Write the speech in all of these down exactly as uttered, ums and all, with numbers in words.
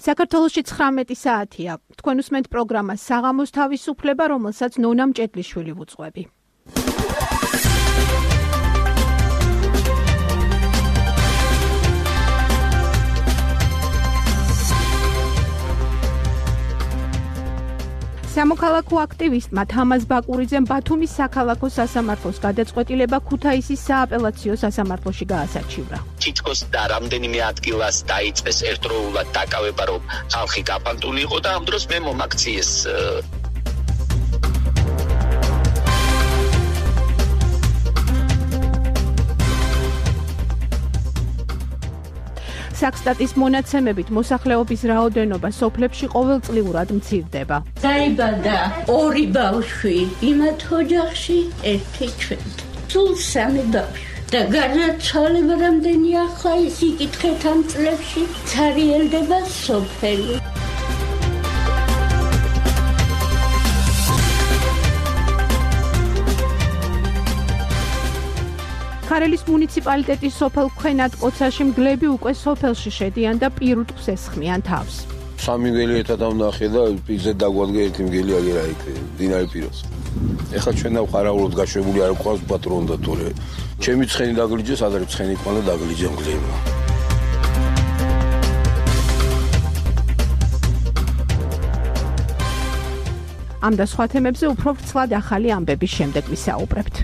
საქართველოში ცხრამეტი საათია. თქვენ უსმენთ პროგრამას საღამოს თავისუფლება, რომელსაც ნონა მჭედლიშვილი ვუძღვები. სამოქალაქო აქტივისტმა თამაზ ბაკურიძემ ბათუმის საქალაქო სასამართლოს გადაწყვეტილება ქუთაისის სააპელაციო სასამართლოში გაასარჩივრა. თითქოს და რამდენიმე ადგილას დაიწყეს ერთდროულად დაკავება, რომ ხალხი გაფანტული იყო და ამ დროს მე მომაქციეს საქსტატის მონაცემებით მოსახლეობის რაოდენობა სოფლებში ყოველწლიურად მცირდება. დაიბადა ორი ბავშვი იმათ ოჯახში, ერთი ჩვენ. სულ სამი ბავშვი. და განაცვალება რამდენი ახლა ის იკითხეთ ამ წლებში ცარიელდება სოფელი. ქარელის მუნიციპალიტეტის სოფელ ქვენად კოცაში მგლები უკვე სოფელში შედიან და პირუტყვს ესხმიან თავს. სამი მგელი ერთად ამნახე და ისე დაგვადგე ერთი მგელი აგერა იქ დინარე პირას. ეხლა ჩვენ დავყარაულოდ გაშვებული არ გვყავს პატრონი და თორე ჩემი ცხენი დაგლიჯეს, ადრე ცხენი ყანა დაგლიჯე მგლებმა. ამ და სხვა თემებზე უფრო ვრცლად ახალი ამბების შემდეგ ვისაუბრებთ.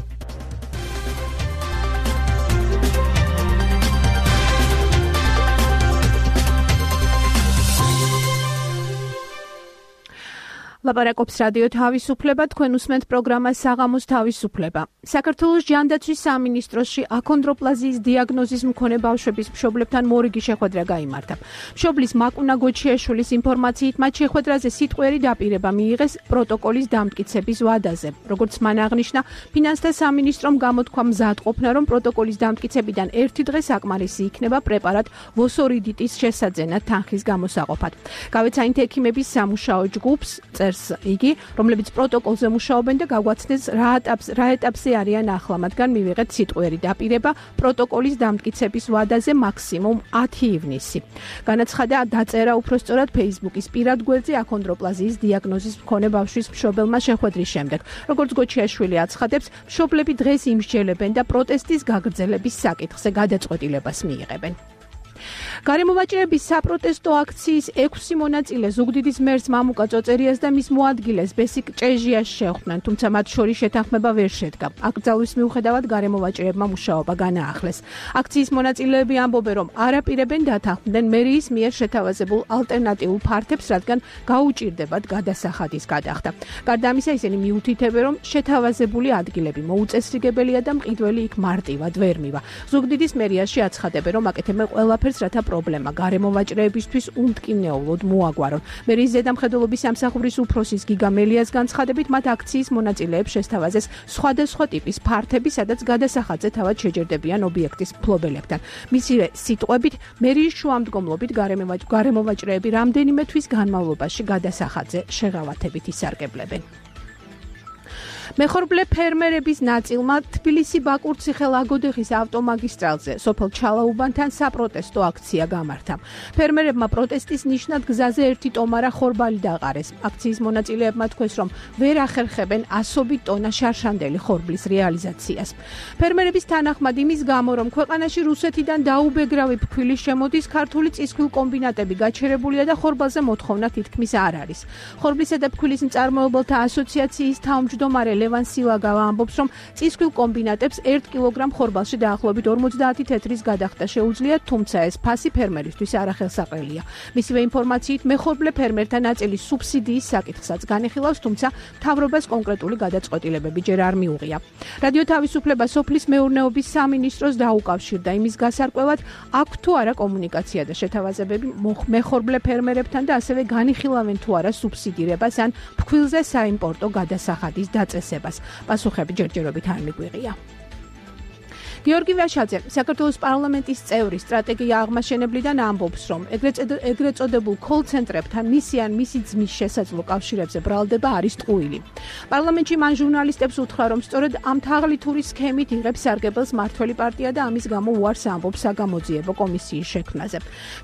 ლაპარაკობს რადიო თავისუფლება, თქვენ უსმენთ პროგრამას საღამოს თავისუფლება. საქართველოს ჯანდაცვის სამინისტროში აქონდროპლაზიის დიაგნოზის მქონე ბავშვების მშობლებთან მორიგი შეხვედრა გაიმართა. მშობლის მაკუნა გოჩიაშვილის ინფორმაციით, მათ შეხვედრაზე სიტყვიერი დაპირება მიიღეს პროტოკოლის დამტკიცების ვადაზე. როგორც მან აღნიშნა, ფინანსთა სამინისტრომ გამოთქვა მზადყოფნა, რომ პროტოკოლის დამტკიცებიდან ერთი დღე საკმარისი იქნება პრეპარატ ვოსორიდიტის შესაძენად თანხის გამოსაყოფად. გავეცა ინთ ექიმების სამუშაო ჯგუფს იგი, რომლებიც პროტოკოლზე მუშაობენ და გაგვაცნეს რა ეტაპს რა ეტაპზე არიან ახლა, მათგან მივიღეთ სიტყვიერი დაპირება პროტოკოლის დამტკიცების ვადაზე მაქსიმუმ ათი ივნისი. განაცხადა დაწერა უпростоრად Facebook-ის პირად გვერდზე აქონდროპლაზიის დიაგნოზის მქონე ბავშვის მშობელმა შეხვედრის შემდეგ. როგორც გოჩიაშვილი აცხადებს, მშობლები დღეს იმსჯელებენ და პროტესტის გაგრძელების საკითხზე გადაწყვეტილებას მიიღებენ. გარემოვაჭრების საპროტესტო აქციის ექვსი მონაწილე ზუგდიდის მერს მამუკა წოწერიას და მის მოადგილეს ბესიკ ჭეჟიას შეხვდნენ, თუმცა მათ შორის შეთანხმება ვერ შედგა. აკრძალვის მიუხედავად გარემოვაჭრებმა მუშაობა განაახლეს. აქციის მონაწილეები ამბობენ, რომ არ აპირებენ დათანხმდნენ მერიის მიერ შეთავაზებულ ალტერნატიულ ფართებს, რადგან გაუჭირდებათ გადასახადის გადახდა. გარდა ამისა, ისინი მიუთითებენ, რომ შეთავაზებული ადგილები მოუწესრიგებელია და მყიდველი იქ მარტივად ვერ მივა. ზუგდიდის მერიაში აცხადებენ, რომ აკეთებენ ყველაფერს, რათა პრობლემა გარემოვაჭრეებისთვის უმტკივნეულოდ მოაგვარონ. მერიის ზედამხედველობის სამსახურის უფროსის გიგა მელიას განცხადებით, მათ აქციის მონაწილეებს შესთავაზეს სხვადასხვა ტიპის ფართები, სადაც გადასახადზე თავად შეჯერდებიან ობიექტის მფლობელებთან. მისივე სიტყვებით, მერიის შუამდგომლობით გარემოვაჭრეები რამდენიმე თვის განმავლობაში გადასახადზე შეღავათებით ისარგებლებენ. მეხორბლე ფერმერების ნაწილმა თბილისი-ბაკურციხე-ლაგოდეხის ავტომაგისტრალზე სოფელ ჩალაუბანთან საპროტესტო აქცია გამართა. ფერმერებმა პროტესტის ნიშნად გზაზე ერთი ტომარა ხორბალი დაყარეს. აქციის მონაწილეებმა თქვეს, რომ ვერ ახერხებენ ასობით ტონა შარშანდელი ხორბლის რეალიზაციას. ფერმერების თანახმად იმის გამო, რომ ქვეყანაში რუსეთიდან დაუბეგრავი ფქვილის შემოდის, ქართული წისქვილ კომბინატები გაჩერებულია და ხორბალზე მოთხოვნა თითქმის არ არის. ხორბლისა და ფქვილის მწარმოებელთა ასოციაციის თავმჯდომარე ლევან სილაგავა ამბობს, რომ წისქვილ კომბინატებს ერთ კილოგრამ ხორბალში დაახლოებით ორმოცდაათი თეთრის გადახდა შეუძლია, თუმცა ეს ფასი ფერმერისთვის არახელსაყრელია. მისივე ინფორმაციით, მეხორბლე ფერმერთა ნაწილი სუბსიდიის საკითხსაც განიხილავს, თუმცა მთავრობას კონკრეტული გადაწყვეტილებები ჯერ არ მიუღია. რადიო თავისუფლება სოფლის მეურნეობის სამინისტროს დაუკავშირდა იმის გასარკვევად, აქვს თუ არა კომუნიკაცია და შეთავაზებები მეხორბლე ფერმერებთან და ასევე განიხილავენ თუ არა სუბსიდირებას ან ფქვილზე საიმპორტო გადასახადის დაწესებას. პასუხები ჯერჯერობით არ მიგვიღია. გიორგი ვაშაძე, საქართველოს პარლამენტის წევრი, სტრატეგია აღმაშენებლიდან ამბობს, რომ ეგრეთ წოდებულ კოლ-ცენტრებთან მისი ან მისი ძმის შესაძლო კავშირებზე ბრალდება არის ტყუილი. პარლამენტში მან ჟურნალისტებს უთხრა, რომ სწორედ ამ თაღლითური სქემით იღებს სარგებელს მართველი პარტია და ამის გამო უარს ამბობს საგამოძიებო კომისიის შექმნაზე.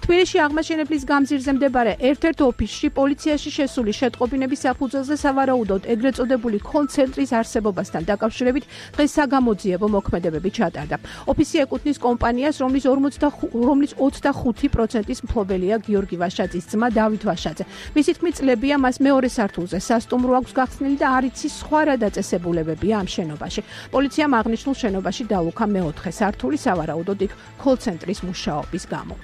თბილისში აღმაშენებლის გამზირზე მდებარე ერთ-ერთ ოფისში პოლიციაში შესული შეტყობინების საფუძველზე სავარაუდოდ ეგრეთ წოდებული კოლ-ცენტრის არსებობასთან დაკავშირებით დღეს საგამოძიებო მოქმედებები ჩატარდა. ოფისი ეკუთვნის კომპანიას, რომლის რომლის ოცდახუთი პროცენტის მფლობელია გიორგი ვაშაძის ძმა დავით ვაშაძე. მისი თქმით, წლებია მას მეორე სართულზე სასტუმრო აქვს გახსნილი და არ იცის სხვა რა დაწესებულებებია ამ შენობაში. პოლიციამ აღნიშნულ შენობაში დალუქა მეოთხე სართული სავარაუდოდ იქ კოლ-ცენტრის მუშაობის გამო.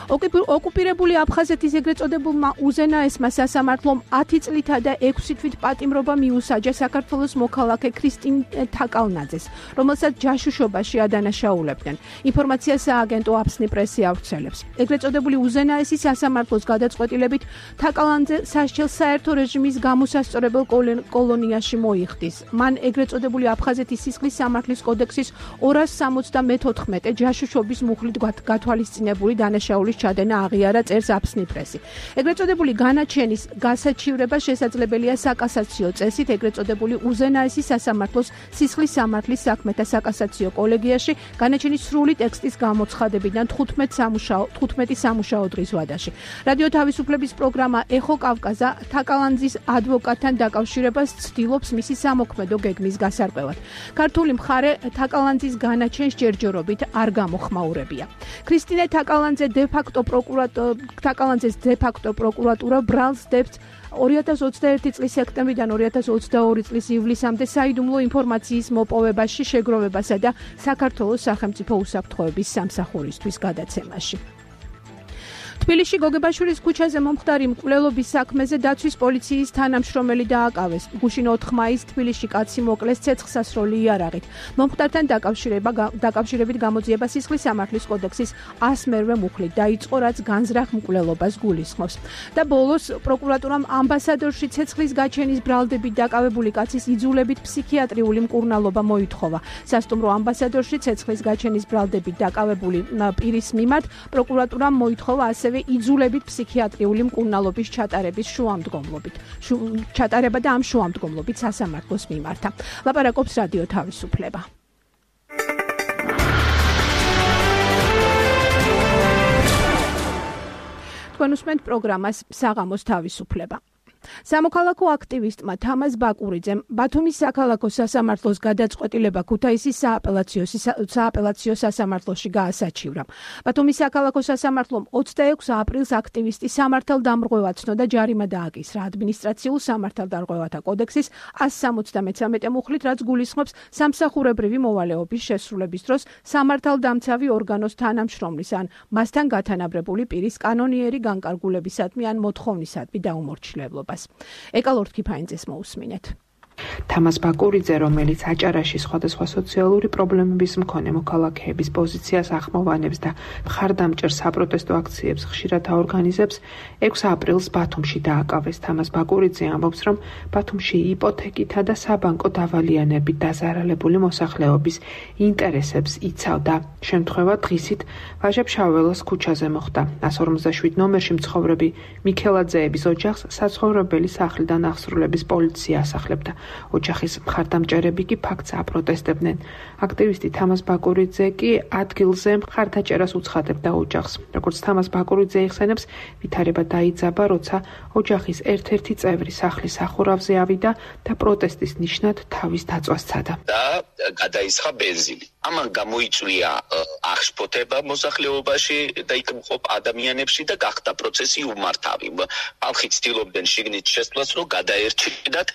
ოკუპირებული აფხაზეთის ეგრეთ წოდებულმა უზენაესმა სასამართლომ ათი წლითა და ექვსი თვით პატიმრობა მიუსაჯა საქართველოს მოქალაქე ქრისტინ თაკალნაძეს, რომელსაც ჯაშუშობაში ადანაშაულებდნენ. ინფორმაციას სააგენტო აფსნი პრესი ავრცელებს. ეგრეთ წოდებული უზენაესი სასამართლოს გადაწყვეტილებით თაკალნაძე სასჯელს საერთო რეჟიმის გამოსასწორებელ კოლონიაში მოიხდის. მან ეგრეთ წოდებული აფხაზეთის სისხლის სამართლის კოდექსის ორას სამოცდამეთოთხმეტე ჯაშუშობის მუხლით გათვალისწინებული დანაშაულის ჩადენა აღიარა წერს აფსნი პრესი. ეგრეთ წოდებული განაჩენის გასაჩივრება შესაძლებელია საკასაციო წესით ეგრეთ წოდებული უზენაესი სასამართლოს სისხლის სამართლის საქმეთა საკასაციო კოლეგიაში განაჩენის სრული ტექსტის გამოცხადებიდან თხუთმეტი სამუშაო დღის ვადაში. რადიო თავისუფლების პროგრამა ეხო კავკაზა თაკალანძის ადვოკატთან დაკავშირებას ცდილობს მისი სამოქმედო გეგმის გასარკვევად. ქართული მხარე თაკალანძის განაჩენს ჯერჯერობით არ გამოხმაურებია. ქრისტინე თაკალანძე დე-ფაქტო თაკალანძეს დე-ფაქტო პროკურატურა ბრალს დებს ორი ათას ოცდაერთი წლის სექტემბრიდან ორი ათას ოცდაორი წლის ივლისამდე საიდუმლო ინფორმაციის მოპოვებაში, შეგროვებასა და საქართველოს სახელმწიფო უსაფრთხოების სამსახურისთვის გადაცემაში. თბილისში გოგებაშვილის ქუჩაზე მომხდარი მკვლელობის საქმეზე დაცვის პოლიციის თანამშრომელი დააკავეს. გუშინ ოთხ მაისს თბილისში კაცი მოკლეს ცეცხლსასროლი იარაღით. მომხდართან დაკავშირებით გამოძიება სისხლის სამართლის კოდექსის ასმერვე მუხლით დაიწყო, რაც განზრახ მკვლელობას გულისხმობს. და ბოლოს პროკურატურამ ამბასადორში ცეცხლის გაჩენის ბრალდებით დაკავებული კაცის იძულებით ფსიქიატრიული მკურნალობა მოითხოვა. სასტუმრო ამბასადორში ცეცხლის გაჩენის ბრალდებით დაკავებული პირის მიმართ პროკურატურამ მოითხოვა ასევე იძულებით ფსიქიატრიული მკურნალობის ჩატარების შუამდგომლობით. ჩატარება და ამ შუამდგომლობით სასამართლოს მიმართა. ლაპარაკობს რადიო თავისუფლება. თქვენ უსმენთ პროგრამას საღამოს თავისუფლება. სამოქალაქო აქტივისტმა თამაზ ბაკურიძემ ბათუმის საქალაქო სასამართლოს გადაწყვეტილება ქუთაისის სააპელაციო სასამართლოში გაასაჩივრა. ბათუმის საქალაქო სასამართლომ ოცდაექვსი აპრილს აქტივისტი სამართალდამრღვევად ცნო და ჯარიმა დააკისრა ადმინისტრაციულ სამართალდამრღვევათა კოდექსის ასი სამოცდამეცამეტე მუხლით, რაც გულისხმობს სამსახურებრივი მოვალეობის შესრულების დროს სამართალდამცავი ორგანოს თანამშრომლის ან მასთან გათანაბრებული პირის კანონიერი განკარგულებისადმი ან მოთხოვნისადმი დაუმორჩილებლობა. ეკალორთ კიფაინძეს მოусმინეთ. თამაზ ბაკურიძე, რომელიც აჭარაში სხვადასხვა სოციალური პრობლემების მქონე მოქალაქეების პოზიციას ახმოვანებს და მხარდამჭერ საპროტესტო აქციებს ხშირად აორგანიზებს, ექვსი აპრილს ბათუმში დააკავეს. თამაზ ბაკურიძე ამბობს, რომ ბათუმში იპოთეკითა და საბანკო დავალიანებით დაზარალებული მოსახლეობის ინტერესებს იცავდა. შემთხვევა დღისით ვაჟა-ფშაველას ქუჩაზე მოხდა. ასი ორმოცდაშვიდ ნომერში მცხოვრები მიქელაძეების ოჯახს საცხოვრებელი სახლიდან აღსრულების პოლიცია ასახლებდა. ოჯახის მხარდამჭერები კი ფაქტს აპროტესტებდნენ. აქტივისტი თამაზ ბაკურიძე კი ადგილზე მხარდაჭერას უცხადებდა ოჯახს. როგორც თამაზ ბაკურიძე იხსენებს, ვითარება დაიძაბა, როცა ოჯახის ერთ-ერთი წევრი სახლის სახურავზე ავიდა და პროტესტის ნიშნად თავის დაწვას სცადა. და გადაისხა ბენზინი. ამან გამოიწვია აღშფოთება მოსახლეობაში და იქ მყოფ ადამიანებში და გახდა პროცესი უმართავი. ხალხი ცდილობდნენ შიგნით შესვლას, რომ გადაერჩინათ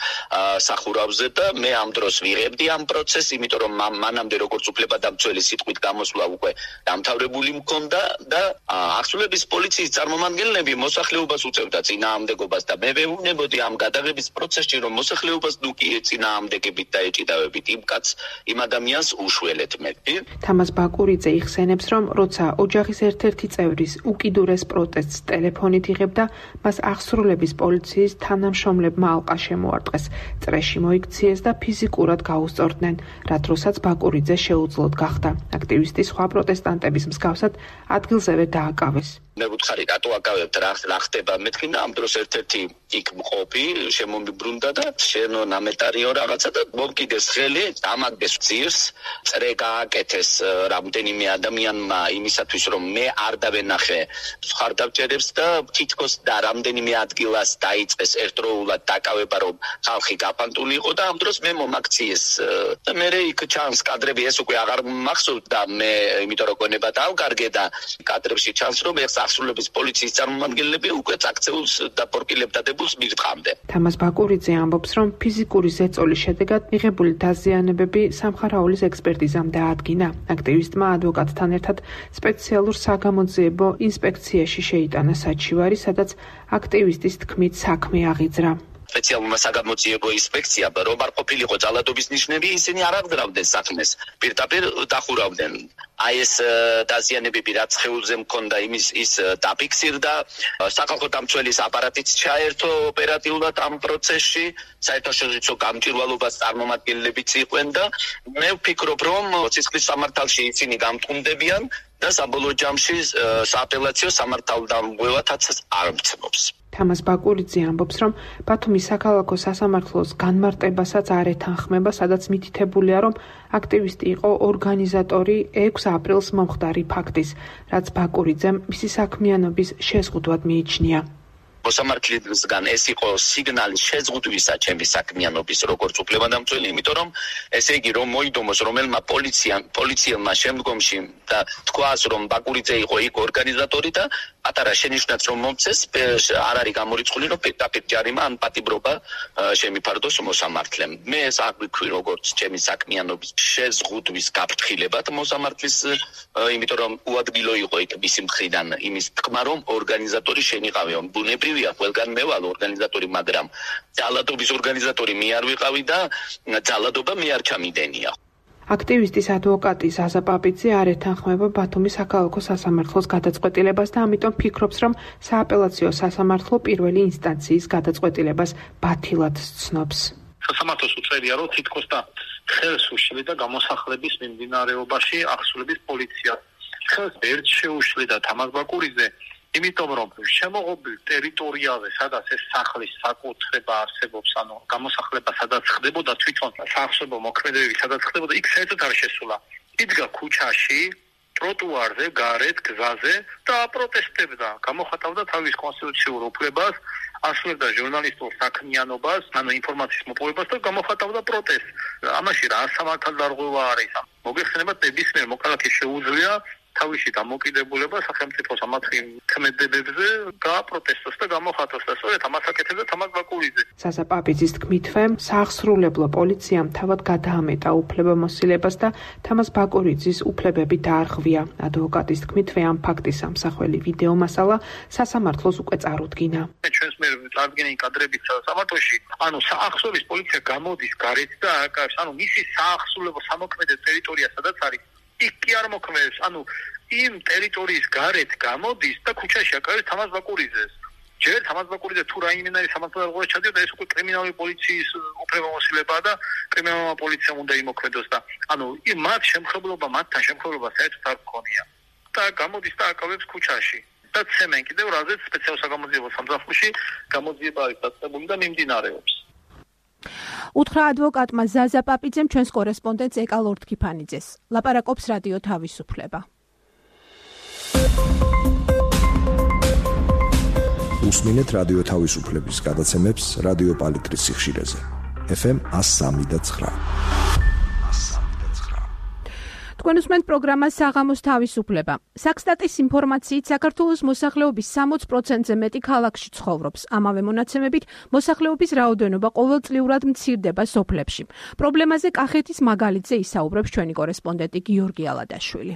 სახურავზე და მე ამ დროს ვიღებდი ამ პროცესს, იმიტომ რომ მანამდე როგორც უფლებადამცველი სიტყვით გამოსვლა უკვე დამთავრებული მქონდა და აღსრულების პოლიციის წარმომადგენლები მოსახლეობას უწევდა წინააღმდეგობას და მე ვეუბნებოდი ამ გადაღების პროცესში, რომ მოსახლეობას ნუ კი წინააღმდეგებით და ეჭიდავებით იმ კაც იმ ადამიანს უშველეთ. თერთმეტი. თამაზ ბაკურიძე იხსენებს, რომ როცა ოჯახის ერთ-ერთი წევრის უკიდურეს პროტესტს ტელეფონით იღებდა, მას აღსრულების პოლიციის თანამშრომლებმა ალყა შემოარტყეს, წრეში მოიქციეს და ფიზიკურად გაუსწორდნენ, რა დროსაც ბაკურიძე შეუძლოდ გახდა. აქტივისტი სხვა პროტესტანტების მსგავსად ადგილზევე დააკავეს. მე ვუთხარი რატო აკავებთ რა რა ხდება მეთქი და ამ დროს ერთ-ერთი იქ მყოფი შემომიბრუნდა და შენო ნამეტარიო რაღაცა და მომკიდეს ხელი ამაგდეს ძირს წრე გააკეთეს რამდენიმე ადამიანმა იმისათვის რომ მე არ დავენახე ხარდაბჭერებს და თითქოს და რამდენიმე ადგილას დაიწყეს ერთდროულად დაკავება რომ ხალხი გაფანტული იყო და ამ დროს მე მომაქციეს და მე იქ ჩანს კადრები ეს უკვე აღარ მახსოვს და მე იმიტომ რომ გონება დავკარგე და კადრებში ჩანს რომ ეს აღსრულების პოლიციის წარმომადგენლები უკვე წაქცეულს და პორკილებდა დებულს მიღწამდა. თამაზ ბაკურიძე ამბობს, რომ ფიზიკური ზეწოლის შედეგად მიღებული დაზიანებები სამხარაულის ექსპერტიზამ დაადგინა. აქტივისტმა ადვოკატთან ერთად სპეციალურ საგამოძიებო ინსპექციაში შეიტანა საჩივარი, სადაც აქტივისტის თქმით საქმე აღიძრა. სპეციალურმა საგამოძიებო ინსპექციამ რომ არ ყოფილიყო ძალადობის ნიშნები, ისინი არ აღძრავდნენ საქმეს, პირდაპირ დახურავდნენ. აი ეს დაზიანებები რაც ხეულზე მქონდა იმის ის დაფიქსირდა, სახალხო დამცველის აპარატიც ჩაერთო ოპერატიულად ამ პროცესში, საერთაშორისო გამჭვირვალობას წარმომადგენლებიც იყვნენ და მე ვფიქრობ რომ სისხლის სამართალში ისინი გამტყუნდებიან და საბოლოო ჯამში სააპელაციო სამართალდამღვევათაც არ მცნობს. თამაზ ბაკურიძე ამბობს, რომ ბათუმის საქალაქო სასამართლოს განმარტებასაც არ ეთანხმება, სადაც მითითებულია, რომ აქტივისტი იყო ორგანიზატორი ექვსი აპრილს მომხდარი ფაქტის, რაც ბაკურიძემ მისი საქმიანობის შეზღუდვად მიიჩნია. მოსამართლისგან ეს იყო სიგნალი შეზღუდვისა ჩემი საქმიანობის როგორც უფლებადამცველი, იმიტომ რომ ესე იგი რომ მოიდომოს რომელმა პოლიციამ პოლიციელმა შემდგომში და თქვას რომ ბაკურიძე იყო იქ ორგანიზატორი და პატარა შენიშვნაც რომ მომწეს არ არის გამორიცხული რომ პირდაპირ ჯარიმა ან პატიმრობა შემიფარდოს მოსამართლემ. მე ეს არ ვიქვი როგორც ჩემი საქმიანობის შეზღუდვის გაფრთხილებად მოსამართლის, იმიტომ რომ უადგილო იყო იქ მისი მხრიდან იმის თქმა რომ ორგანიზატორი შენიყავი, ბუნებრივია ყველგან მე ვალ ორგანიზატორი, მაგრამ ძალადობის ორგანიზატორი მე არ ვიყავი და ძალადობა მე არ ჩამიდენია. აქტივისტის ადვოკატი ზაზა პაპიძე არ ეთანხმება ბათუმის საქალაქო სასამართლოს გადაწყვეტილებას და ამიტომ ფიქრობს, რომ სააპელაციო სასამართლო პირველი ინსტანციის გადაწყვეტილებას ბათილად სცნობს. სასამართლოს უწევია, რომ თითქოს და ხელს უშლიდა გამოსახლების მიმდინარეობაში აღსრულების პოლიცია. ხელს ერთ შეუშლიდა თამაზ ბაკურიძე, იმიტომ რომ შემოღობილ ტერიტორიაზე, სადაც ეს სახლის საკუთრება არსებობს, ანუ გამოსახლება სადაც ხდებოდა თვითონ საახსოვო მოქმედებები, სადაც ხდებოდა, იქ საერთოდ არ შესულა. იდგა ქუჩაში, ტროტუარზე, გარეთ, გზაზე და აპროტესტებდა, გამოხატავდა თავის კონსტიტუციურ უფლებას, ასრულებდა ჟურნალისტურ საქმიანობას, ანუ ინფორმაციის მოპოვებას და გამოხატავდა პროტესტს. ამაში რა სამართალდარღვევა არის? მოგეხსენებათ, ნებისმიერ მოქალაქეს შეუძლია თავისი დამოკიდებულება სახელმწიფოს ამათი ქმედებებზე გააპროტესტოს და გამოხატოს და სწორედ ამას აკეთებდა თამაზ ბაკურიძე. ზაზა პაპიძის თქმითვე, საახსრულებლო პოლიციამ თავად გადაამეტა უფლებამოსილებას და თამაზ ბაკურიძის უფლებები დაარღვია. ადვოკატის თქმითვე, ამ ფაქტის ამსახველი ვიდეო მასალა სასამართლოს უკვე წარუდგინა. ჩვენს მიერ წარდგენილი კადრებით სასამართლოში, ანუ საახსრობის პოლიცია გამოდის გარეთ და აკავს, ანუ მისი საახსრულებო სამოქმედო ტერიტორია სადაც არის იქ კი არ მოქმედებს, ანუ იმ ტერიტორიის გარეთ გამოდის და ქუჩაში აკავებს თამაზ ბაკურიძეს. ჯერ თამაზ ბაკურიძე თუ რაიმენარი სამართალდარღვევა ჩადიოდა, ეს უკვე კრიმინალური პოლიციის უფლებამოსილებაა და კრიმინალურმა პოლიციამ უნდა იმოქმედოს და ანუ მათ შემხებლობა, მათთან შემხებლობა საერთოდ არ გქონია. და გამოდის და აკავებს ქუჩაში. და ცემენ კიდევ რაზეც სპეციალურ საგამოძიებო სამსახურში გამოძიება არის დაწყებული და მიმდინარეობს. უთხრა ადვოკატმა ზაზა პაპიძემ ჩვენს კორესპონდენტს ეკალ ორთქიფანიძეს. ლაპარაკობს რადიო თავისუფლება. უსმინეთ რადიო თავისუფლების გადაცემებს რადიო პალიტრის სიხშირეზე. ეფ ემ one oh three point nine. თქვენ უსმენთ პროგრამას საღამოს თავისუფლება. საქსტატის ინფორმაციით საქართველოს მოსახლეობის sixty percent-ზე მეტი ქალაქში ცხოვრობს. ამავე მონაცემებით მოსახლეობის რაოდენობა ყოველწლიურად მცირდება სოფლებში. პრობლემაზე კახეთის მაგალითზე ისაუბრებს ჩვენი კორესპონდენტი გიორგი ალადაშვილი.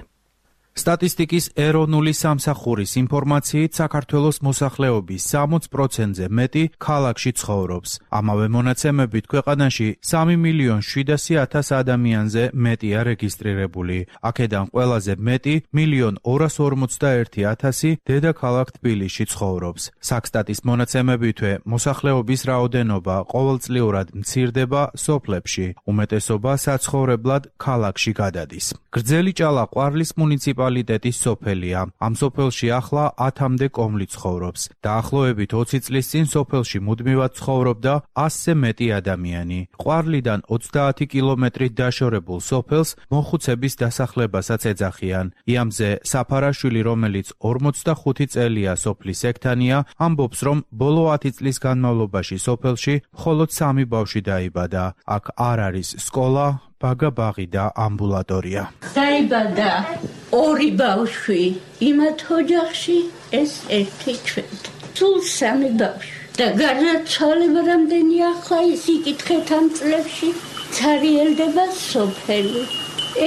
სტატისტიკის ეროვნული სამსახურის ინფორმაციით საქართველოს მოსახლეობის სამოც პროცენტზე მეტი ქალაქში ცხოვრობს. ამავე მონაცემებით ქვეყანაში სამი მილიონ შვიდასი ათას ადამიანზე მეტია რეგისტრირებული. აქედან ყველაზე მეტი მილიონ ორას ორმოცდაერთი ათასი დედაქალაქ თბილისში ცხოვრობს. საქსტატის მონაცემებითვე მოსახლეობის რაოდენობა ყოველწლიურად მცირდება სოფლებში, უმეტესობა საცხოვრებლად ქალაქში გადადის. გრძელი ჭალა-ყვარლის მუნიციპალიტეტის სოფელია. ამ სოფელში ახლა ათამდე კომლი ცხოვრობს. დაახლოებით ოცი წლის წინ სოფელში მუდმივად ცხოვრობდა ასზე მეტი ადამიანი. ყვარლიდან ოცდაათი კილომეტრით დაშორებულ სოფელს მოხუცების დასახლებასაც ეძახიან. იამზე საფარაშვილი, რომელიც ორმოცდახუთი წელია სოფლის ექთანია, ამბობს, რომ ბოლო ათი წლის განმავლობაში სოფელში მხოლოდ სამი ბავშვი დაიბადა. აქ არ არის სკოლა, ბაგა-ბაღი და ამბულატორია. დაიბადა ორი ბავშვი იმათ ოჯახში, ეს ერთი ჩვენ. სულ სამი ბავშვი. და გარდაცვალება რამდენი ახლა ის იკითხეთ ამ წლებში, ცარიელდება სოფელი.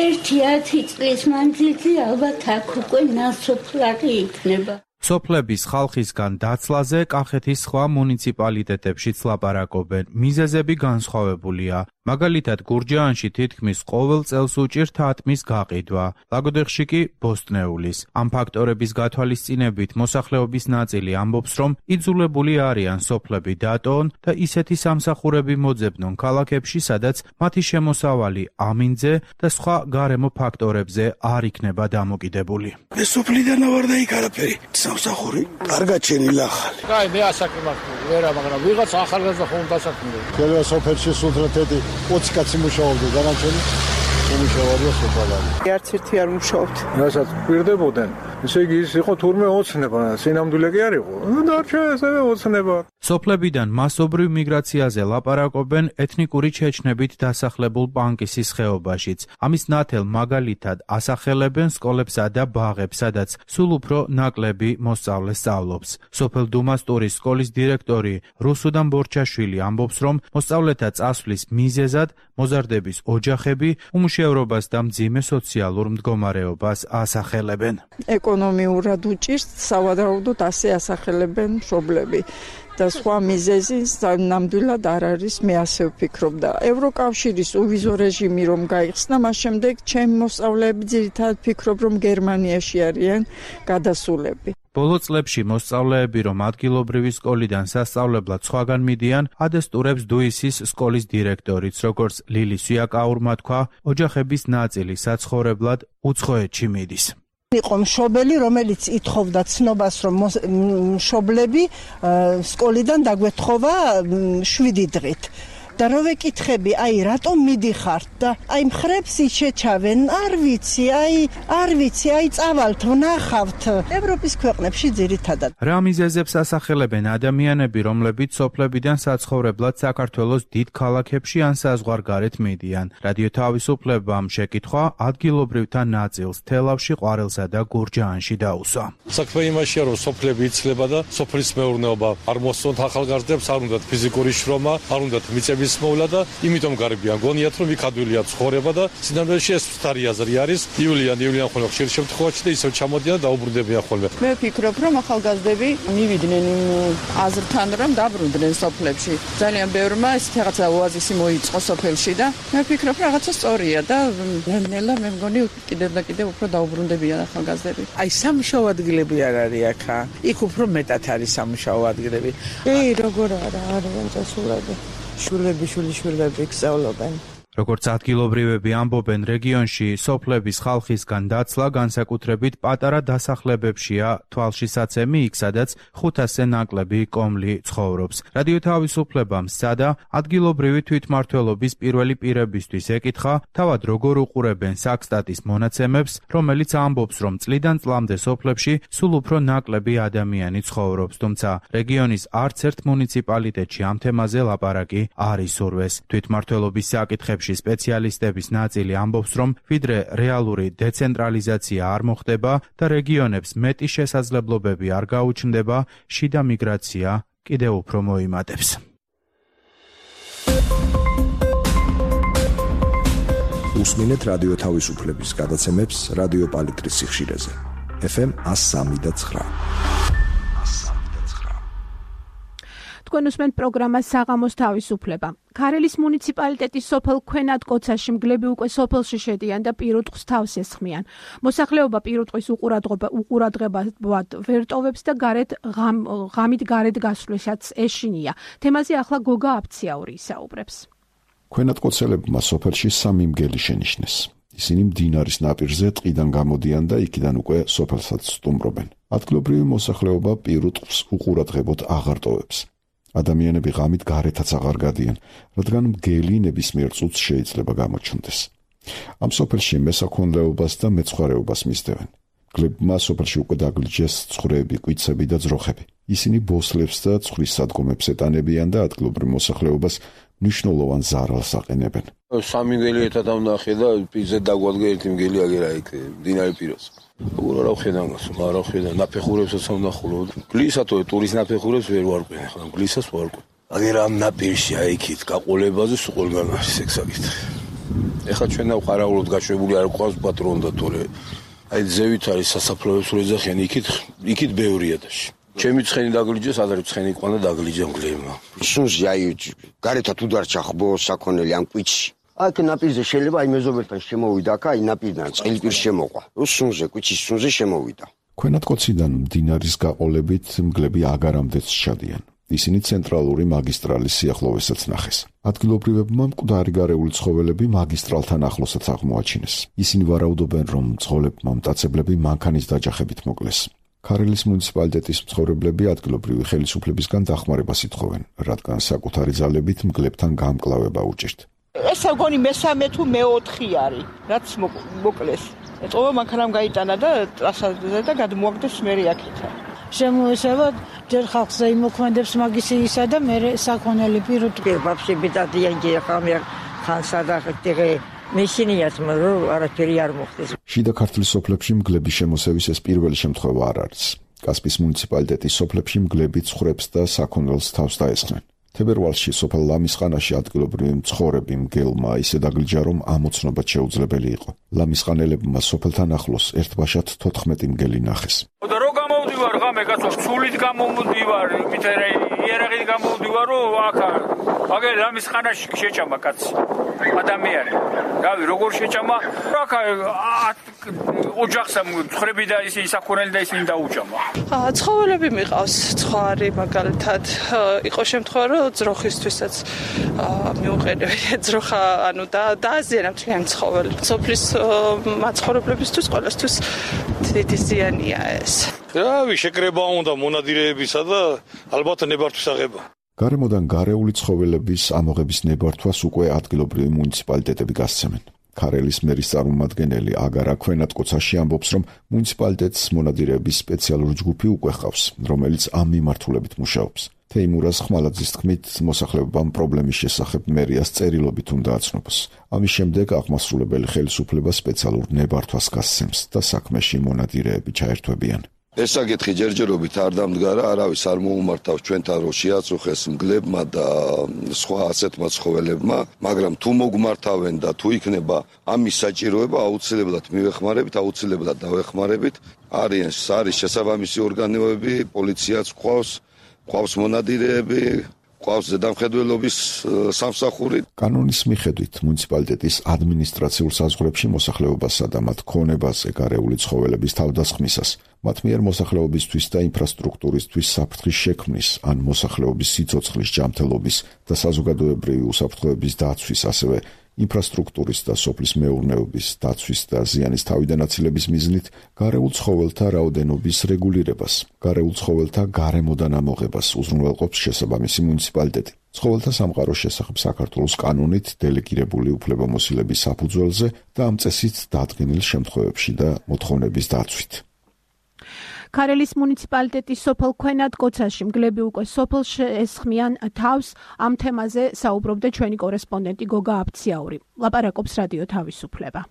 ერთი ათი წლის მანძილზე ალბათ აქ უკვე ნასოფლარი იქნება. სოფლების ხალხისგან დაცლაზე კახეთის სხვა მუნიციპალიტეტებშიც ლაპარაკობენ. მიზეზები განსხვავებულია. მაგალითად, გურჯაანში თითქმის ყოველ წელს უჭირთ ატმის გაყიდვა, ლაგოდეხში კი ბოსტნეულის. ამ ფაქტორების გათვალისწინებით მოსახლეობის ნაწილი ამბობს, რომ იძულებული არიან სოფლები დატოონ და ისეთი სამსახურები მოძებნონ ქალაქებში, სადაც მათი შემოსავალი ამინძე და სხვა გარემო ფაქტორებზე არ იქნება დამოკიდებული. მე სოფლიდან ვარ და იქ არაფერი. სამსახური კარგად შენილა ახალი. კაი, მე ასაკმართული ვერა, მაგრამ ვიღაც ახალგაზრდა ხომ დასაქმებული. ყველა სოფელში სულთრეთი ოცი კაცი მუშაობდა, დანარჩენი უმუშავეა სოფალარი. არც ერთი არ მუშაობთ. რასაც პირდებოდნენ, ესე იგი ის იყო თურმე ოცნება, სინამდვილე კი არ იყო. დარჩა ესევე ოცნება. სოფლებიდან მასობრივ მიგრაციაზე ლაპარაკობენ ეთნიკური ჩეჩნებით დასახლებულ პანკისის ხეობაშიც. ამის ნათელ მაგალითად ასახელებენ სკოლებსა და ბაღებს, სადაც სულ უფრო ნაკლები მოსწავლე სწავლობს. სოფელ დუმასტურის სკოლის დირექტორი რუსუდან ბორჩაშვილი ამბობს, რომ მოსწავლეთა წასვლის მიზეზად მოზარდების ოჯახები უმუშევრობას და მძიმე სოციალურ მდგომარეობას ასახელებენ. ეკონომიურად უჭირს, სავარაუდოდ ასე ასახელებენ მშობლები. და სხვა მიზეზი ნამდვილად არ არის, მე ასე ვფიქრობ და ევროკავშირის უვიზო რეჟიმი რომ გაიხსნა, მას შემდეგ ჩემი მოსწავლეები ძირითადად ფიქრობ, რომ გერმანიაში არიან გადასულები. ბოლო წლებში მოსწავლეები, რომ ადგილობრივი სკოლიდან სასწავლებლად სხვაგან მიდიან, ადესტურებს დუისის სკოლის დირექტორიც, როგორც ლილი სვიაკაურმა თქვა, ოჯახების ნაწილი საცხოვრებლად უცხოეთში მიდის. იყო მშობელი, რომელიც ითხოვდა ცნობას, რომ მშობლები სკოლიდან დაგვეთხოვა შვიდი დღით. და რო ვეკითხები, აი რატომ მიდიხართ და აი მხრებს იჩეჩავენ, არ ვიცი, აი არ ვიცი, აი წავალთ, ვნახავთ. ევროპის ქვეყნებში ძირითადად. რა მიზეზებს ასახელებენ ადამიანები, რომლებიც სოფლებიდან საცხოვრებლად საქართველოს დიდ ქალაქებში ან საზღვარგარეთ მიდიან. რადიო თავისუფლებამ შეკითხვა ადგილობრივთა ნაწილს თელავში, ყვარელსა და გურჯაანში დაუსვა. საქმე იმაშია, რომ სოფლები იცლება და სოფლის მეურნეობა არ მოსწონთ ახალგაზრდებს, არ უნდათ ფიზიკური შრომა, არ უნდათ მიწების მოვლა და იმიტომ გარბიან გონიათ რომ იქ ადვილია ცხოვრება და სინამდვილეში ეს ფთარი აზრი არის ივლიან ივლიან ხოლმე ხშირ შემთხვევაში და ისევ ჩამოდიან და დაუბრუნდებიან ხოლმე. მე ვფიქრობ რომ ახალგაზრდები მივიდნენ იმ აზრთან რომ დაბრუნდნენ სოფლებში. ძალიან ბევრმა ესეთ რაღაცა ოაზისი მოიწყო სოფელში და მე ვფიქრობ რომ რაღაცა სწორია და ნელა მე მგონი კიდევ და კიდევ უფრო დაუბრუნდებიან ახალგაზრდები. აი სამუშაო ადგილები არ არის აქა. იქ უფრო მეტად არის სამუშაო ადგილები. ეი როგორ არა არიან წასულები. შვილები, შვილიშვილები გსწავლობენ. როგორც ადგილობრივები ამბობენ, რეგიონში სოფლების ხალხისგან დაცლა განსაკუთრებით პატარა დასახლებებშია თვალშისაცემი, იქ სადაც ხუთასზე ნაკლები კომლი ცხოვრობს. რადიო თავისუფლებამ სცადა ადგილობრივი თვითმმართველობის პირველი პირებისთვის ეკითხა, თავად როგორ უყურებენ საქსტატის მონაცემებს, რომელიც ამბობს, რომ წლიდან წლამდე სოფლებში სულ უფრო ნაკლები ადამიანი ცხოვრობს, თუმცა რეგიონის არც ერთ მუნიციპალიტეტში ამ თემაზე ლაპარაკი არ ისურვეს. თვითმმართველობის საკითხებში სპეციალისტების ნაწილი ამბობს, რომ ვიდრე რეალური დეცენტრალიზაცია არ მოხდება და რეგიონებს მეტი შესაძლებლობები არ გაუჩნდება, შიდა მიგრაცია კიდევ უფრო მოიმატებს. უსმინეთ რადიო თავისუფლების გადაცემებს რადიო პალიტრის სიხშირეზე. ეფ ემ one oh three point nine. თქვენ უსმენთ პროგრამას საღამოს თავისუფლება. ქარელის მუნიციპალიტეტის სოფელ ქვენატკოცაში მგლები უკვე სოფელში შედიან და პირუტყვს თავს ესხმიან. მოსახლეობა პირუტყვის უყურადღებად ვერ ტოვებს და გარეთ ღამით გარეთ გასვლასაც ეშინია. თემაზე ახლა გოგა აფციაური ისაუბრებს. ქვენატკოცელებმა სოფელში სამი მგელი შენიშნეს. ისინი მდინარის ნაპირზე ტყიდან გამოდიან და იქიდან უკვე სოფელსაც სტუმრობენ. ადგილობრივი მოსახლეობა პირუტყვს უყურადღებოდ აღარ ტოვებს. ადამიანები ღამით გარეთაც აღარ გადიან, რადგან მგელი ნებისმიერ წუთს შეიძლება გამოჩნდეს. ამ სოფელში მესაქონლეობას და მეცხვარეობას მისდევენ. მგლებმა სოფელში უკვე დაგლიჯეს ცხვრები, კვიცები და ძროხები. ისინი ბოსლებს და ცხვრის სადგომებს ეტანებიან და ადგილობრივ მოსახლეობას მნიშვნელოვან ზარალს აყენებენ. სამი მგელი ერთად ამნახე და პირზე დაგვადგა ერთი მგელი აგერა იქ მდინარე პირას. როგორ არა ხედავ მას, არა ხედავ, ნაფეხურებსაც ამნახულო. გლისათო ტურის ნაფეხურებს ვერ ვარკვენ, ხო, გლისას ვარკვენ. აგერა ამ ნაპირში აიქით გაყოლებაზე სულ ყველგან არის ეგ საკითხი. ეხლა ჩვენ დავყარაულოდ გაშვებული არ ყავს პატრონი და თორე აი ზევით არის სასაფლაოებს რო ეძახიან, იქით იქით ბევრია დაში. ჩემი ცხენი დაგლიჯეს, ადრე ცხენი ყანა დაგლიჯა მგლებმა. სუნზი აი გარეთად უდარჩა ხბო საქონელი ამ კვიცში. აქ ნაპირზე შეიძლება აი მეზობელთან შემოვიდა, აქ აი ნაპირიდან წყელი პირ შემოყვა. სუნზე კვიცის სუნზე შემოვიდა. ქვენატკოციდან მდინარის გაყოლებით მგლები აგარამდეც ჩადიან. ისინი ცენტრალური მაგისტრალის სიახლოვესაც ნახეს. ადგილობრივებმა მკვდარი გარეული ცხოველები მაგისტრალთან ახლოსაც აღმოაჩინეს. ისინი ვარაუდობენ, რომ ცხოველებმა მტაცებლები მანქანის დაჯახებით მოკლეს. ქარელის მუნიციპალიტეტის მცხოვრებლები ადგილობრივი ხელისუფლებისგან დახმარებას ითხოვენ, რადგან საკუთარი ძალებით მგლებთან გამკლავება უჭირთ. ეს აგონი მესამე თუ მეოთხე არის, რაც მოკლეს. ეთყობა მანქანამ გაიტანა და ტრასაზე და გადმოაგდეს მერე აქეთა. შემოესება ჯერ ხალხზე იმოქმედებს მაგისისა და მერე საქონელი პირუტყვი. ბაბშები დადიან ხამე ხანსა და ხტიღე მეშინიათ მაგრამ არაფერი არ მოხდეს. შიდა ქართლის სოფლებში მგლების შემოსევის ეს პირველი შემთხვევა არ არის. კასპიის მუნიციპალიტეტის სოფლებში მგლები ცხვრებს და საქონელს თავს დაესხნენ. თებერვალში სოფელ ლამისხანაში ადგილობრივი მცხოვრები მგელმა ისე დაგლიჯა, რომ ამოცნობა შეუძლებელი იყო. ლამისხანელებმა სოფელთან ახლოს ერთბაშად თოთხმეტი მგელი ნახეს. და რო გამოვდივარ ღამე კაცო, სულით გამოვდივარ, მითერე იერაღით გამოვდივარ, რომ აქ აგერ ლამისხანაში შეჭამა კაცი. ადამიანი. რავი, როგორ შეჭამა? აქ ოჯახსა ცხვრები და ისინი საქონელი და ისინი დაუჭამა. ცხოველები მიყავს, ცხარი მაგალითად იყო შემთხვევა, რომ ძროხისთვისაც მიუყენებია ძროხა, ანუ და დააზიანებთ ამ ცხოველს. სოფლის მაცხოვრებლებისთვის ყველასთვის დიდი ზიანია ეს. რავი, შეკრება უნდა მონადირეებისა და ალბათ ნებართვის აღება. გარემოდან გარეული ცხოველების ამოღების ნებართვას უკვე ადგილობრივი მუნიციპალიტეტები გასცემენ. ქარელის მერის წარმომადგენელი აგარა ქვენატკოცაში ამბობს, რომ მუნიციპალიტეტს მონადირეების სპეციალური ჯგუფი უკვე ჰყავს, რომელიც ამ მიმართულებით მუშაობს. თეიმურაზ ხმალაძის თქმით, მოსახლეობამ პრობლემის შესახებ მერიას წერილობით უნდა აცნობს. ამის შემდეგ აღმასრულებელი ხელისუფლება სპეციალურ ნებართვას გასცემს და საქმეში მონადირეები ჩაერთვებიან. ეს საკითხი ჯერჯერობით არ დამდგარა, არავის არ მოუმართავს ჩვენთან, რომ შეაწუხეს მგლებმა და სხვა ასეთმა ცხოველებმა, მაგრამ თუ მოგმართავენ და თუ იქნება ამის საჭიროება, აუცილებლად მივეხმარებით, აუცილებლად დავეხმარებით. არის არის შესაბამისი ორგანოები, პოლიციაც ყავს, ყავს მონადირეები, ყავს ზედამხედველობის სამსახური. კანონის მიხედვით მუნიციპალიტეტის ადმინისტრაციულ საზღვრებში მოსახლეობასა და მათ ქონებაზე გარეული ცხოველების თავდასხმისას, მათ მიერ მოსახლეობისთვის და ინფრასტრუქტურისთვის საფრთხის შექმნის ან მოსახლეობის სიცოცხლის ჯანმრთელობის და საზოგადოებრივი უსაფრთხოების დაცვის, ასევე ინფრასტრუქტურის და სოფლის მეურნეობის დაცვის და ზიანის თავიდანაცილების მიზნით გარეულ ცხოველთა რაოდენობის რეგულირებას, გარეულ ცხოველთა გარემოდან ამოღებას უზრუნველყოფს შესაბამისი მუნიციპალიტეტი. ცხოველთა სამყაროს შესახებ საქართველოს კანონით დელეგირებული უფლებამოსილების საფუძველზე და ამ წესით დადგენილ შემთხვევებში და მოთხოვნების დაცვით. ქარელის მუნიციპალიტეტის სოფელ ქვენატკოცაში მგლები უკვე სოფელში ესხმიან თავს. ამ თემაზე საუბრობდა ჩვენი კორესპონდენტი გოგა აფციაური. ლაპარაკობს რადიო თავისუფლება.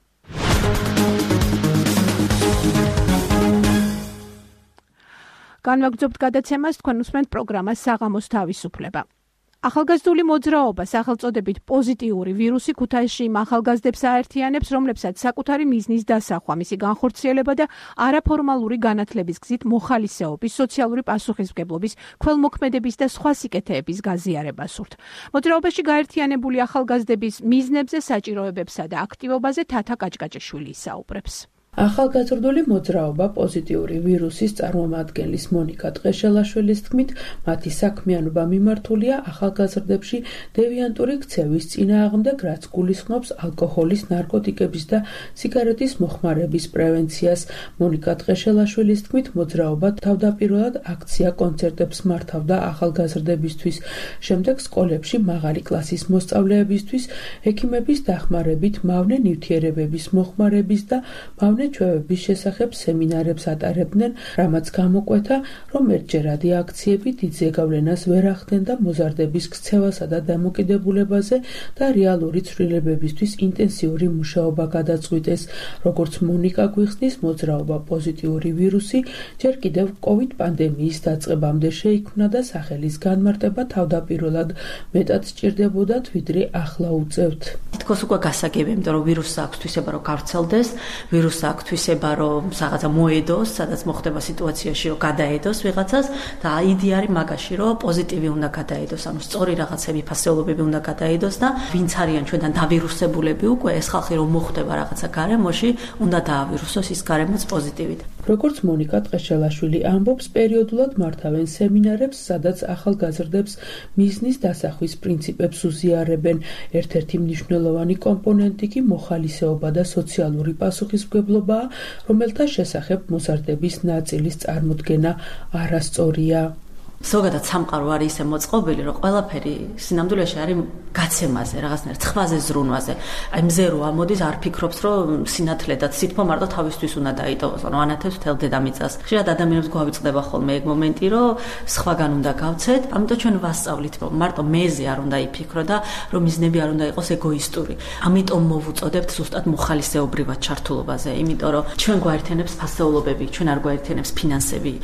განვაგრძობთ გადაცემას, თქვენ უსმენთ პროგრამას საღამოს თავისუფლება. ახალგაზრდული მოძრაობა სახელწოდებით პოზიტიური ვირუსი ქუთაისში იმ ახალგაზრდებს აერთიანებს, რომლებსაც საკუთარი მიზნის დასახვა, მისი განხორციელება და არაფორმალური განათლების გზით მოხალისეობის, სოციალური პასუხისმგებლობის, ქველმოქმედების და სხვა სიკეთეების გაზიარება სურთ. მოძრაობაში გაერთიანებული ახალგაზრდების მიზნებზე, საჭიროებებსა და აქტივობაზე თათა კაჭკაჭიშვილი ისაუბრებს. ახალგაზრდული მოძრაობა პოზიტიური ვირუსის წარმომადგენლის მონიკა ტყეშელაშვილის თქმით, მათი საქმიანობა მიმართულია ახალგაზრდებში დევიანტური ქცევის წინააღმდეგ, რაც გულისხმობს ალკოჰოლის, ნარკოტიკების და სიგარეტის მოხმარების პრევენციას. მონიკა ტყეშელაშვილის თქმით, მოძრაობა თავდაპირველად აქცია-კონცერტებს მართავდა ახალგაზრდებისთვის, შემდეგ სკოლებში მაღალი კლასის მოსწავლეებისთვის, ექიმების დახმარებით, მავნე ნივთიერებების მოხმარების და მავნე ჩვევების შესახებ სემინარებს ატარებდნენ, რამაც გამოკვეთა, რომ ერთჯერადი აქციები დიდ ზეგავლენას ვერ ახდენდა მოზარდების ქცევასა და დამოკიდებულებაზე და რეალური ცვლილებებისთვის ინტენსიური მუშაობა გადაწყვიტეს. როგორც მონიკა გვიხსნის, მოძრაობა პოზიტიური ვირუსი ჯერ კიდევ კოვიდ პანდემიის დაწყებამდე შეიქმნა და სახელის განმარტება თავდაპირველად მეტად სჭირდებოდათ, ვიდრე ახლა უწევთ. თითქოს უკვე გასაგებია, იმიტომ რომ ვირუსს აქვს თვისება, რომ გავრცელდეს, ვირუსს აქვს თვისება, რომ რაღაცა მოედოს, სადაც მოხდება სიტუაციაში, რომ გადაედოს ვიღაცას და იდეა არის მაგაში, რომ პოზიტივი უნდა გადაედოს, ანუ სწორი რაღაცები, ფასეულობები უნდა გადაედოს და ვინც არიან ჩვენთან დავირუსებულები უკვე, ეს ხალხი რომ მოხდება რაღაცა გარემოში, უნდა დაავირუსოს ის გარემოც პოზიტივით. როგორც მონიკა ტყეშელაშვილი ამბობს, პერიოდულად მართავენ სემინარებს, სადაც ახალგაზრდებს მიზნის დასახვის პრინციპებს უზიარებენ. ერთ-ერთი მნიშვნელოვანი კომპონენტი კი მოხალისეობა და სოციალური პასუხისმგებლობაა, რომელთა შესახებ მოზარდების ნაწილის წარმოდგენა არასწორია. ზოგადად სამყარო არის ისე მოწყობილი, რომ ყველაფერი სინამდვილეში არის გაცემაზე, რაღაცნაირ ცხვაზე, ზრუნვაზე. აი მზე რო ამოდის, არ ფიქრობს, რომ სინათლე და სითბო მარტო თავისთვის უნდა დაიტოვოს, ანუ ანათებს მთელ დედამიწას. ხშირად ადამიანებს გვავიწყდება ხოლმე ეგ მომენტი, რომ სხვაგან უნდა გავცეთ, ამიტომ ჩვენ ვასწავლით, რომ მარტო მეზე არ უნდა იფიქრო და რომ მიზნები არ უნდა იყოს ეგოისტური. ამიტომ მოვუწოდებთ ზუსტად მოხალისეობრივად ჩართულობაზე, იმიტომ რომ ჩვენ გვაერთიანებს ფასეულობები, ჩვენ არ გვაერთიანებს ფინანსები.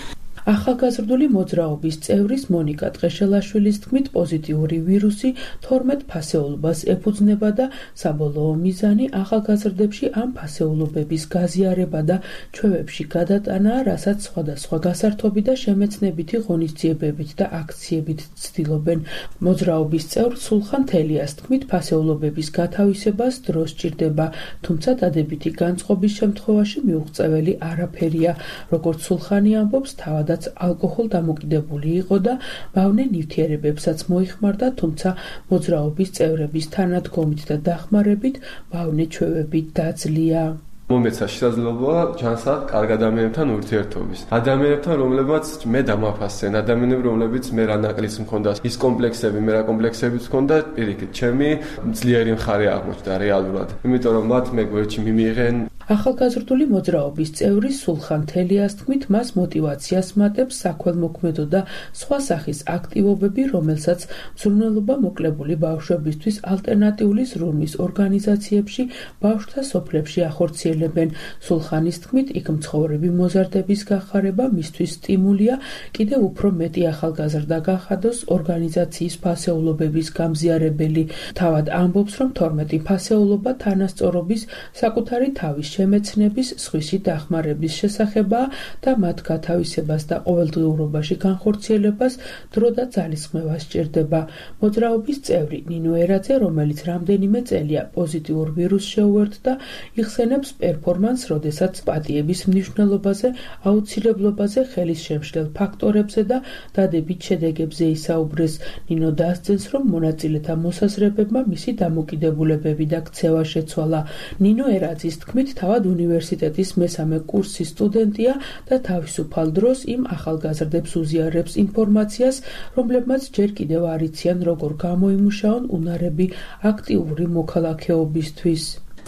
ახალგაზრდული მოძრაობის წევრის მონიკა ტყეშელაშვილის თქმით, პოზიტიური ვირუსი თორმეტ ფასეულობას ეფუძნება და საბოლოო მიზანი ახალგაზრდებში ამ ფასეულობების გაზიარება და ჩვევებში გადატანაა, რასაც სხვადასხვა გასართობი და შემეცნებითი ღონისძიებებით და აქციებით ცდილობენ. მოძრაობის წევრ სულხან თელიას თქმით, ფასეულობების გათავისებას დრო სჭირდება, თუმცა დადებითი განწყობის შემთხვევაში მიუღწეველი არაფერია. როგორც სულხანი ამბობს, თავადაც ალკოჰოლ დამოკიდებული იყო და მავნე ნივთიერებებსაც მოიხმარდა, თუმცა მოძრაობის წევრების თანადგომით და დახმარებით მავნე ჩვევებით დაძლია. მომეცა შესაძლებლობა ჩანსად კარგ ადამიანებთან ურთიერთობის. ადამიანებთან, რომლებიც მე დამაფასენ, ადამიანები, რომლებიც მე რა ნაკლის მქონდა, ის კომპლექსები, მე რა კომპლექსებიც მქონდა, პირიქით, ჩემი ძლიერი მხარე აღმოჩნდა რეალურად. იმიტომ რომ მათ მე გვერდში მიმიღენ. ახალგაზრდული მოძრაობის წევრი სულხან თელიას თქმით, მას მოტივაციას მატებს საქველმოქმედო და სხვა სახის აქტივობები, რომელსაც მზრუნველობა მოკლებული ბავშვებისთვის ალტერნატიული ზრუნვის ორგანიზაციებში, ბავშვთა სოფლებში ახორციელებენ. სულხანის თქმით, იქ მცხოვრები მოზარდების გახარება მისთვის სტიმულია, კიდევ უფრო მეტი ახალგაზრდა გახადოს ორგანიზაციის ფასეულობების გამზიარებელი. თავად ამბობს, რომ თორმეტი ფასეულობა თანასწორობის, საკუთარი თავის შემეცნების, სხვისი დახმარების შესახებაა და მათ გათავისებას და ყოველდღიურობაში განხორციელებას დრო და ძალისხმევა სჭირდება. მოძრაობის წევრი ნინო ერაძე, რომელიც რამდენიმე წელია პოზიტიურ ვირუსს შეუერთდა, იხსენებს პერფორმანს, როდესაც პატიების მნიშვნელობაზე, აუცილებლობაზე, ხელის შემშლელ ფაქტორებზე და დადებით შედეგებზე ისაუბრეს. ნინო დასძენს, რომ მონაწილეთა მოსაზრებებმა მისი დამოკიდებულებები და ქცევა შეცვალა. ნინო ერაძის თქმით, თავად უნივერსიტეტის მესამე კურსის სტუდენტია და თავისუფალ დროს იმ ახალგაზრდებს უზიარებს ინფორმაციას, რომლებმაც ჯერ კიდევ არ იციან, როგორ გამოიმუშაონ უნარები აქტიური მოქალაქეობისთვის.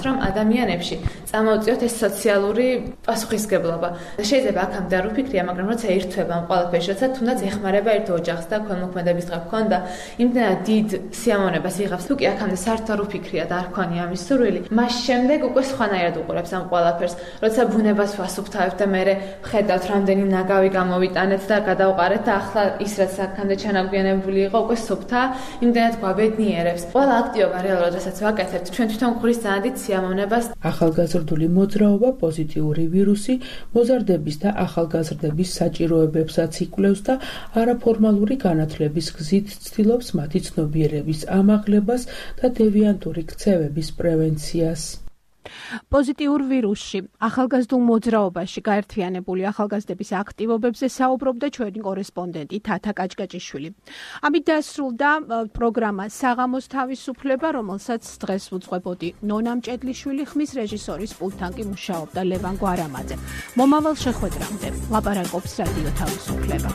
რომ ადამიანებში წამოუწიოთ ეს სოციალური პასუხისგებლობა. შეიძლება აქამდე არ ვფიქრია, მაგრამ როცა ერთვება ამ ყველაფერში, როცა თუნდაც ეხმარება ერთ ოჯახს და ქველმოქმედების დღე გქონდა, იმდენად დიდ სიამოვნებას იღებს. თუ კი აქამდე საერთოდ არ ვფიქრია და არ ქონია ამის სურვილი, მას შემდეგ უკვე სხვანაირად უყურებს ამ ყველაფერს. როცა ბუნებას ვასუფთავებთ და მე ვხედავთ, რამდენი ნაგავი გამოვიტანეთ და გადავყარეთ და ახლა ის რაც აქამდე ჩანაგვიანებული იყო, უკვე სუფთა, იმდენად გვაბედნიერებს. ყველა აქტივობა რეალურად რასაც ვაკეთებთ, ჩვენ თვითონ გვხრის ძალიან დიდ სიამოვნებას. ახალგაზრდული მოძრაობა პოზიტიური ვირუსი მოზარდების და ახალგაზრდების საჭიროებებსაც იკვლევს და არაფორმალური განათლების გზით ცდილობს მათი ცნობიერების ამაღლებას და დევიანტური ქცევების პრევენციას. პოზიტიურ ვირუსში, ახალგაზრდულ მოძრაობაში გაერთიანებული ახალგაზრდების აქტივობებზე საუბრობდა ჩვენი კორესპონდენტი თათა კაჭკაჭიშვილი. ამით დასრულდა პროგრამა საღამოს თავისუფლება, რომელსაც დღეს უძღვებოდი ნონა მჭედლიშვილი, ხმის რეჟისორის პულტთან კი მუშაობდა ლევან გვარამაძე. მომავალ შეხვედრამდე ლაპარაკობს რადიო თავისუფლება.